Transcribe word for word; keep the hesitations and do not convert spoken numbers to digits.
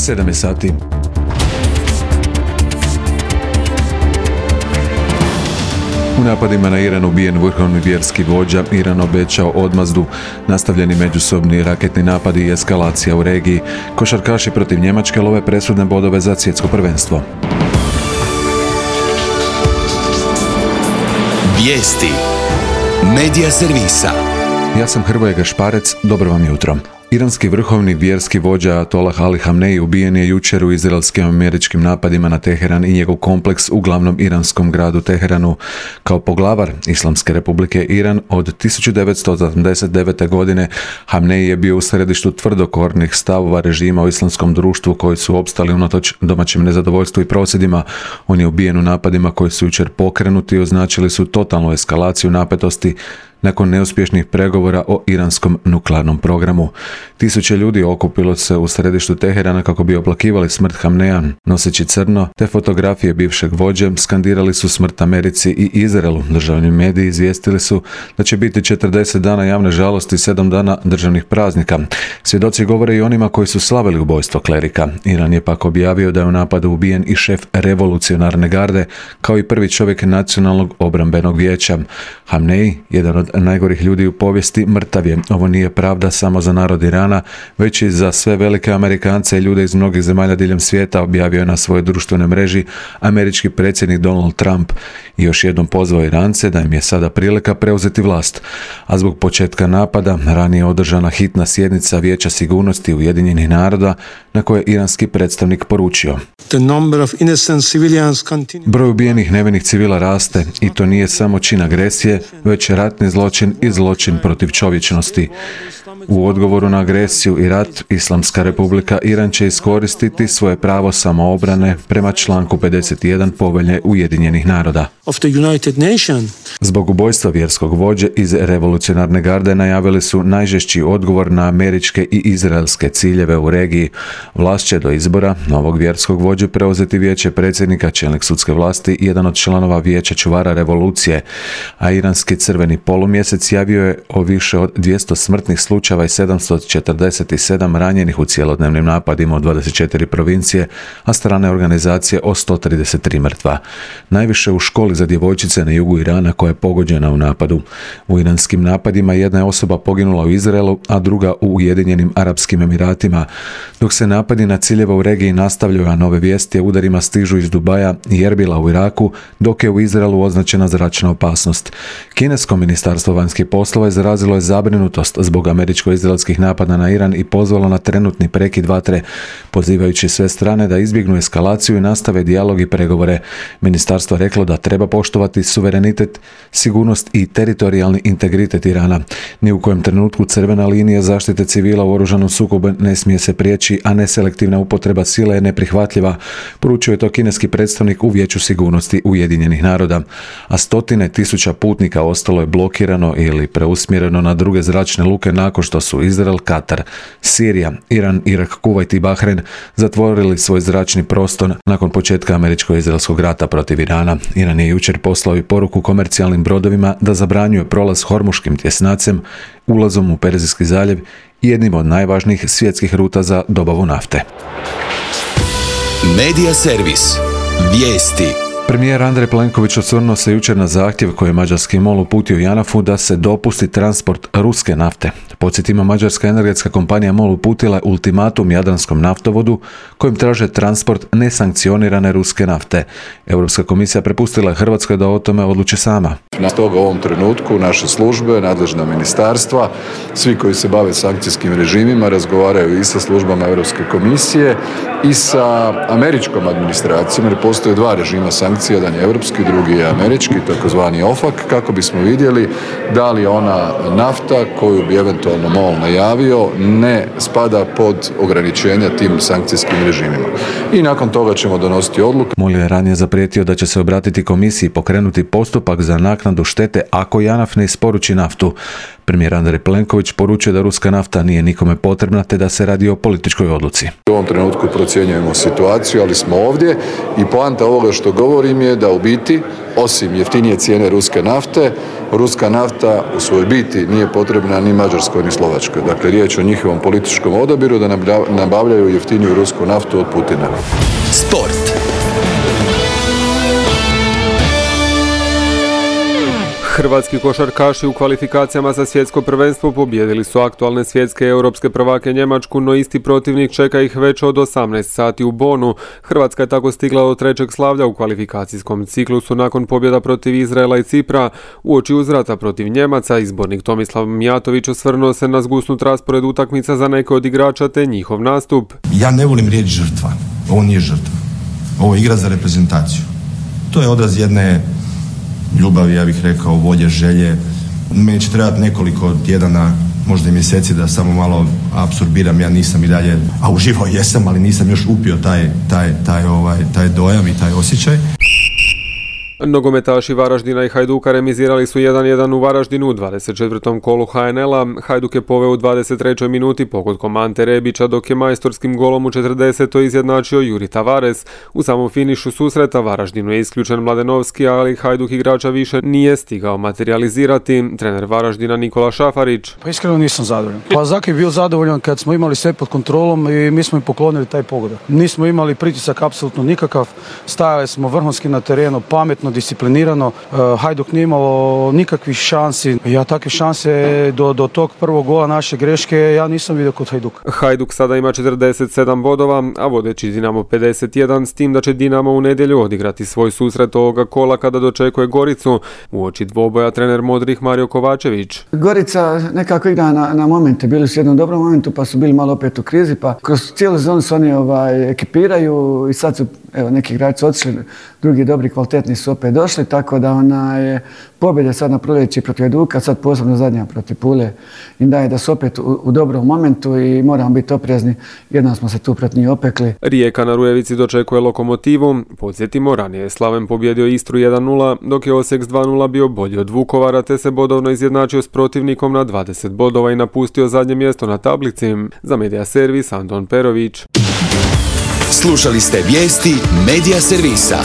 sedam je sati. U napadima na Iran ubijen vrhovni vjerski vođa, Iran obećao odmazdu, nastavljeni međusobni raketni napadi i eskalacija u regiji. Košarkaši protiv Njemačke love presudne bodove za svjetsko prvenstvo. Vijesti Medija servisa. Ja sam Hrvoje Gašparec, dobro vam jutro. Iranski vrhovni vjerski vođa Ajatollah Ali Hamneji ubijen je jučer u izraelskim američkim napadima na Teheran i njegov kompleks u glavnom iranskom gradu Teheranu. Kao poglavar Islamske republike Iran od tisuću devetsto osamdeset devete. godine Hamneji je bio u središtu tvrdokornih stavova režima u islamskom društvu koji su opstali unatoč domaćem nezadovoljstvu i prosvjedima. On je ubijen u napadima koji su jučer pokrenuti i označili su totalnu eskalaciju napetosti nakon neuspješnih pregovora o iranskom nuklearnom programu. Tisuće ljudi okupilo se u središtu Teherana kako bi oplakivali smrt Hamneja. Noseći crno te fotografije bivšeg vođe, skandirali su smrt Americi i Izraelu. Državni mediji izvijestili su da će biti četrdeset dana javne žalosti i sedam dana državnih praznika. Svjedoci govore i onima koji su slavili ubojstvo klerika. Iran je pak objavio da je u napadu ubijen i šef revolucionarne garde, kao i prvi čovjek nacionalnog obrambenog vijeća. Hamneji, jedan od najgorih ljudi u povijesti, mrtav je. Ovo nije pravda samo za narod Irana, već i za sve velike Amerikance i ljude iz mnogih zemalja diljem svijeta, objavio je na svojoj društvenoj mreži američki predsjednik Donald Trump i još jednom pozvao Irance da im je sada prilika preuzeti vlast. A zbog početka napada ranije održana hitna sjednica Vijeća sigurnosti Ujedinjenih naroda na kojoj je iranski predstavnik poručio: broj ubijenih nevinih civila raste i to nije samo čin agresije, već ratni zločin i zločin protiv čovječnosti. U odgovoru na agresiju i rat, Islamska republika Iran će iskoristiti svoje pravo samoobrane prema članku pedeset jedan Povelje Ujedinjenih naroda. Zbog ubojstva vjerskog vođe iz revolucionarne garde najavili su najžešći odgovor na američke i izraelske ciljeve u regiji. Vlast će do izbora novog vjerskog vođe preuzeti vijeće predsjednika, čelnik sudske vlasti i jedan od članova vijeća čuvara revolucije, a iranski crveni polumjesec javio je o više od dvjesto smrtnih slučajeva i sedamsto četrdeset sedam ranjenih u cjelodnevnim napadima u dvadeset četiri provincije, a strane organizacije o sto trideset tri mrtva. Najviše u školi za djevojčice na jugu Irana koja je pogođena u napadu. U iranskim napadima jedna je osoba poginula u Izraelu, a druga u Ujedinjenim Arapskim Emiratima. Dok se napadi na ciljeve u regiji nastavljaju, a nove vijesti o udarima stižu iz Dubaja i Erbila u Iraku, dok je u Izraelu označena zračna opasnost. Kinesko ministarstvo vanjskih poslova izrazilo je zabrinutost zbog američko-izraelskih napada na Iran i pozvalo na trenutni prekid vatre, pozivajući sve strane da izbjegnu eskalaciju i nastave dijalog i pregovore. Ministarstvo je reklo da treba poštovati suverenitet, sigurnost i teritorijalni integritet Irana. Ni u kojem trenutku crvena linija zaštite civila u oružanom sukobu ne smije se prijeći, a neselektivna upotreba sile je neprihvatljiva, poručio je to kineski predstavnik u Vijeću sigurnosti Ujedinjenih naroda. A stotine tisuća putnika ostalo je blokirano ili preusmjereno na druge zračne luke nakon što su Izrael, Katar, Sirija, Iran, Irak, Kuvajt i Bahrein zatvorili svoj zračni prostor nakon početka američko-izraelskog rata protiv Irana. Iran je jučer poslao i poruku komercijalnim brodovima da zabranjuje prolaz Hormuškim tjesnacem, ulazom u Perzijski zaljev i jednim od najvažnijih svjetskih ruta za dobavu nafte. Medija servis. Vijesti. Premijer Andrej Plenković osvrnuo se jučer na zahtjev koji je mađarski MOL uputio JANAF-u da se dopusti transport ruske nafte. Podsjetimo, mađarska energetska kompanija MOL uputila je ultimatum Jadranskom naftovodu kojim traže transport nesankcionirane ruske nafte. Europska komisija prepustila je Hrvatskoj da o tome odluči sama. Na toga u ovom trenutku naše službe, nadležna ministarstva, svi koji se bave sankcijskim režimima razgovaraju i sa službama Europske komisije i sa američkom administracijom, jer postoje dva režima sankcija, jedan je europski, drugi je američki, takozvani OFAC, kako bismo vidjeli da li ona nafta koju bi eventualno MOL najavio ne spada pod ograničenja tim sankcijskim režimima. I nakon toga ćemo donositi odluku. MOL je ranije zaprijetio da će se obratiti komisiji i pokrenuti postupak za naknadu štete ako JANAF ne isporuči naftu. Premijer Andrej Plenković poručuje da ruska nafta nije nikome potrebna te da se radi o političkoj odluci. U ovom trenutku procjenjujemo situaciju, ali smo ovdje i poanta ovoga što govorim je da u biti, osim jeftinije cijene ruske nafte, ruska nafta u svojoj biti nije potrebna ni Mađarskoj ni Slovačkoj. Dakle, riječ o njihovom političkom odabiru da nabavljaju jeftiniju rusku naftu od Putina. Sport. Hrvatski košarkaši u kvalifikacijama za svjetsko prvenstvo pobijedili su aktualne svjetske i europske prvake Njemačku, no isti protivnik čeka ih već od osamnaest sati u Bonu. Hrvatska je tako stigla do trećeg slavlja u kvalifikacijskom ciklusu nakon pobjeda protiv Izraela i Cipra. Uoči uzvrata protiv Njemaca, izbornik Tomislav Mijatović osvrnuo se na zgusnut raspored utakmica za neke od igrača te njihov nastup. Ja ne volim riječ žrtva. Ovo nije žrtva. Ovo je igra za reprezentaciju. To je odraz jedne ljubavi, ja bih rekao, volje, želje. Meni će trebati nekoliko tjedana, možda i mjeseci da samo malo apsorbiram, ja nisam i dalje, a uživao jesam, ali nisam još upio taj, taj, taj, ovaj, taj dojam i taj osjećaj. Nogometaši Varaždina i Hajduka remizirali su jedan jedan u Varaždinu u dvadeset četvrtom kolu ha en el-a. Hajduk je poveo u dvadeset trećoj minuti pogodkom Ante Rebića, dok je majstorskim golom u četrdesetoj izjednačio Juri Tavares. U samom finišu susreta Varaždinu je isključen Mladenovski, ali Hajduk igrača više nije stigao materijalizirati. Trener Varaždina Nikola Šafarić. Pa iskreno nisam zadovoljan. Pa Zaki je bio zadovoljan kad smo imali sve pod kontrolom i mi smo im poklonili taj pogodak. Nismo imali pritisak apsolutno nikakav, stajali smo vrhunski na terenu, pametno, disciplinirano. Hajduk nije imao nikakvih šansi. Ja takve šanse do, do tog prvog gola naše greške ja nisam vidio kod Hajduka. Hajduk sada ima četrdeset sedam bodova, a vodeći Dinamo pedeset jedan, s tim da će Dinamo u nedjelju odigrati svoj susret ovoga kola kada dočekuje Goricu. Uoči dvoboja trener Modrih Mario Kovačević. Gorica nekako igra na, na momente. Bili su u jednom dobrom momentu pa su bili malo opet u krizi, pa kroz cijelu sezonu se oni ovaj, ekipiraju i sad su evo, neki igrači otišli, drugi dobri kvalitetni su opet došli, tako da ona je pobjede sad na proljeći protiv Hajduka, sad posebno zadnja protiv Pule im daje da su opet u, u dobrom momentu i moramo biti oprezni, jednom smo se tu protiv njih opekli. Rijeka na Rujevici dočekuje Lokomotivu. Podsjetimo, ranije je Slaven pobjedio Istru jedan nula, dok je Osijek s dva nula bio bolji od Vukovara, te se bodovno izjednačio s protivnikom na dvadeset bodova i napustio zadnje mjesto na tablici. Za Medija Servis Anton Perović. Slušali ste vijesti Medija Servisa.